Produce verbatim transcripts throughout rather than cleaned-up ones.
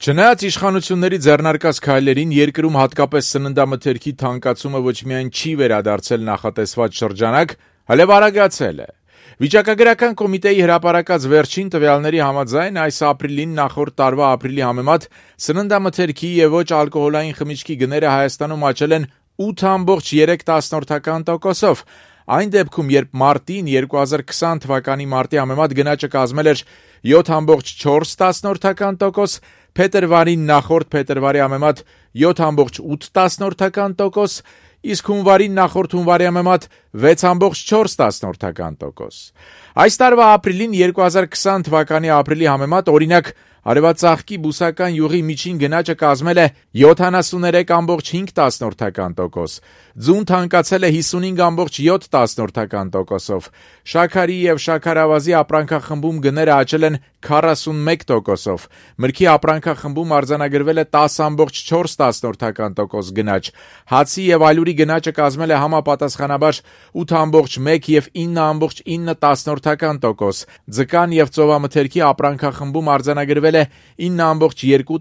Չնայած իշխանությունների ձեռնարկած քայլերին, երկրում հատկապես սննդամթերքի թանկացումը ոչ միայն չի վերադարձել նախատեսված շրջանակ, այլև արագացել է։ Վիճակագրական կոմիտեի հրապարակած վերջին տվյալների համաձայն այս ապրիլին նախորդ տարվա ապրիլի համեմատ սննդամթերքի եւ ոչ ալկոհոլային խմիչքի գները Հայաստանում աճել են ութ ամբողջ երեք տոկոսով։ Այն դեպքում, երբ մարտին երկու հազար քսան թվականի մարտի համեմատ գնաճը կազմել էր յոթ ամբողջ չորս տոկոս, փետրվարին նախորդ փետրվարի համեմատ յոթ ամբողջ ութ տոկոս, իսկ հունվարին նախորդ հունվարի համեմատ վեց ամբողջ չորս տոկոս։ Այս տարվա ապրիլին երկու հազար քսան թվականի ապրիլի համեմատ, օրինակ, արևածաղկի բուսական յուղի միջին գնաճը կազմել է յոթանասուններեք ամբողջ հինգ տոկոս, ձուն թանկացել է հիսունհինգ ամբողջ յոթ տոկոսով, շաքարի եւ շաքարավազի ապրանքախմբում գները աճել են քառասունմեկ տոկոսով, մրգի ապրանքախմբում արձանագրվել է տաս ամբողջ չորս տոկոս գնաճ, հացի եւ ալյուրի գնաճը կազմել է համապատասխանաբար ութ ամբողջ մեկ եւ ինը ամբողջ ինը տոկոս, ձկան եւ ծովամթերքի ապրանքախմբում արձանագրվել է ինը ամբողջ երկու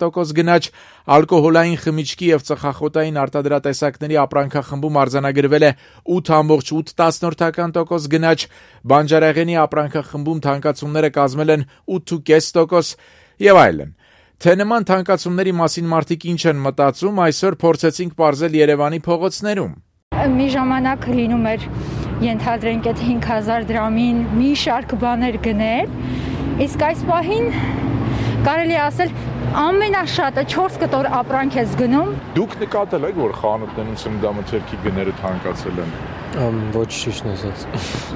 տոկոս գնաճ, ալկոհոլային խմիչքի եւ ծխախոտային արտադրատեսակների ապրանքախմբում արձանագրվել է ութ ամբողջ ութ տոկոս գնաճ, բանջարեղենի ապրանքախմբում թանկացումները կազմել են ութ տոկոս եւ այլն։ Թե նման թանկացումների մասին մարդիկ ինչ են մտածում, այսօր փորձեցինք պարզել Երևանի փողոցներում։ Մի ժամանակ լինում էր ենթադրենք այդ հինգ հազար դրամին մի շարք բաներ գնել, իսկ այս պահին կարելի ասել ամենաշատը չորս կտոր ապրանք ես գնում։ Դուք նկատել եք, որ խանութներում սննդամթերքի գները թանկացել են։ Ոչ ճիշտն ասած։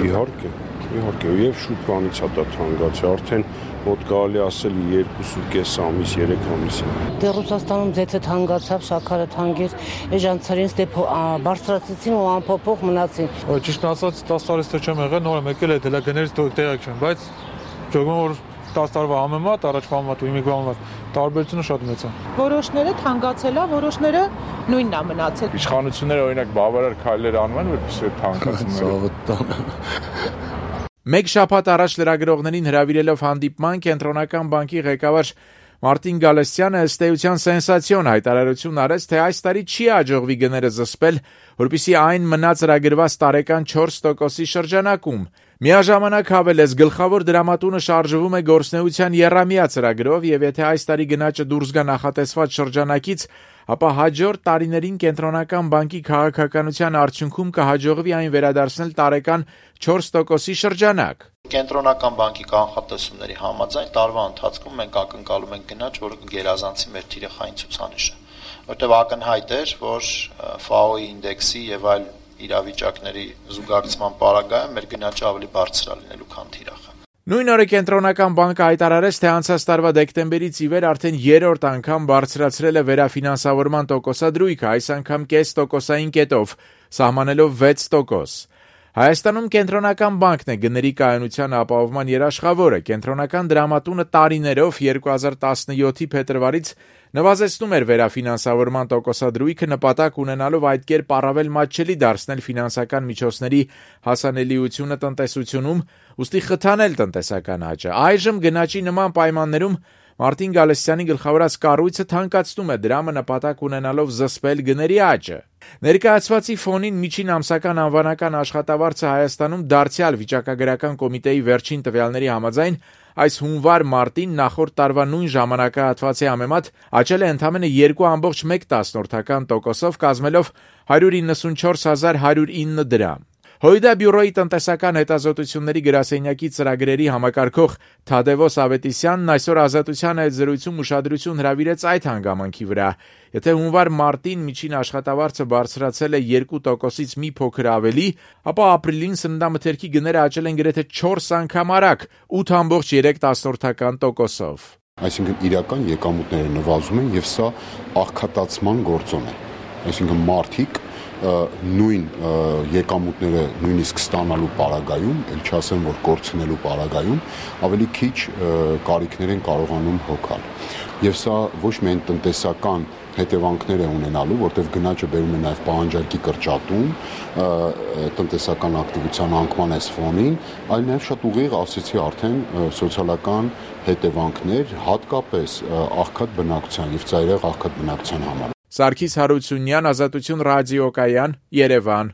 Իհարկե, իհարկե, եւ շուտ բանից հա դա թանկացել, արդեն մոտ կարելի ասել երկուսուկես ամիս, երեք ամիս։ Դե Ռուսաստանում ձեթը թանկացավ, շաքարը թանկեց, էժանցարին դե բարձրացեցին ու անփոփոխ մնացին։ Ճիշտ ասած տասը տարի ստե չեմ եղել, նոր եմ եկել այդ հենց գներից տեղյակ չեմ, բայց ճոգում որ տասը տարվա համեմատ, առաջվա համեմատ ու իմիգվա համեմատ տարբերությունը շատ մեծ է։ Որոշները թանկացել է, որոշները նույնն է մնացել։ Իշխանությունները օրինակ բավարար քայլեր անում են, որպեսզի թանկացումները։ Մեկ շաբաթ առաջ լրագրողներին հրավիրելով հանդիպման Կենտրոնական բանկի ղեկավար Մարտին Գալստյանը ըստ էության սենսացիոն հայտարարություն արեց, թե այս տարի չի հաջողվի գները զսպել, որպեսզի այն մնա ծրագրված տարեկան չորս տոկոսի շրջանակում։ Միաժամանակ հավելեց, գլխավոր դրամատունը շարժվում է գործնեության եռամյա ծրագրով եւ եթե այս տարի գնաճը դուրս գա նախատեսված շրջանակից, ապա հաջորդ տարիներին Կենտրոնական բանկի քաղաքականության արդյունքում կհաջողվի այն վերադարձնել տարեկան չորս տոկոսի շրջանակ։ Կենտրոնական բանկի կանխատեսումների համաձայն տարվա ընթացքում մենք ակնկալում ենք գնաճ, որը կգերազանցի մեր թիրախային ցուցանիշը, որտեղ ակնհայտ էր, որ Ֆ A O-ի ինդեքսի եւ այլ իրավիճակների զուգակցման պարագայում մեր գնաճը ավելի բարձր է լինելու, քան թիրախը։ Նույն օրը Կենտրոնական բանկը հայտարարեց, թե անցած տարվա դեկտեմբերից ի վեր արդեն երրորդ անգամ բարձրացրել է վերաֆինանսավորման տոկոսադրույքը, այս անգամ կես տոկոսային կետով, սահմանելով վեց տոկոս։ Հայաստանում Կենտրոնական բանկն է գների կայունության ապահովման երաշխավորը։ Կենտրոնական դրամատունը տարիներով երկու հազար տասնյոթի փետրվարից նվազեցնում էր վերաֆինանսավորման տոկոսադրույքը նպատակ ունենալով այդ կերպ առավել մատչելի դարձնել ֆինանսական միջոցների հասանելիությունը տնտեսությունում, ուստի խթանել տնտեսական աճը։ Այժմ գնաճի նման պայմաններում Մարտին Գալստյանի գլխավորած կառույցը թանկացնում է դրամը նպատակ ունենալով զսպել գների աճը։ Ներկայացվածի ֆոնին միջին ամսական անվանական աշխատավարձը Հայաստանում դարձյալ վիճակագրական կոմիտեի վերջին տվյալների համաձայն այս հունվար-մարտին նախորդ տարվա նույն ժամանակահատվածի համեմատ աճել է ընդամենը երկու ամբողջ մեկ տոկոսով, կազմելով հարյուր իննսունչորս հազար հարյուր ինը դրամ։ Հոյդա բյուրոյի տնտեսական հետազոտությունների գրասենյակի ծրագրերի համակարգող Թադևոս Ավետիսյանն այսօր Ազատության հետ զրույցում ուշադրություն հրավիրեց այդ հանգամանքի վրա։ Եթե հունվար-մարտին միջին աշխատավարձը բարձրացել է երկու տոկոսից մի փոքր ավելի, ապա ապրիլին սննդամթերքի գները աճել են գրեթե չորս անգամ արագ՝ ութ ամբողջ երեք տոկոսով։ Այսինքն իրական եկամուտները նվազում են եւ սա աղքատացման գործոն է։ Այսինքն մարդիկ նույն եկամուտները նույնիսկ ստանալու պարագայում, ել չասեմ, որ կորցնելու պարագայում, ավելի քիչ կարիքներ են կարողանում հոգալ։ Եվ սա ոչ միայն տնտեսական հետևանքներ է ունենալու, որտեղ գնաճը բերում է նաև պահանջարկի կրճատում, տնտեսական ակտիվության անկման այս ֆոնին, այլ նաև շատ ուղիղ, ասեցի արդեն, սոցիալական հետևանքներ, հատկապես աղքատ բնակչության եւ ծայրահեղ աղքատ բնակչության համար։ Սարգիս Հարությունյան, Ազատություն ռադիոկայան, Երևան։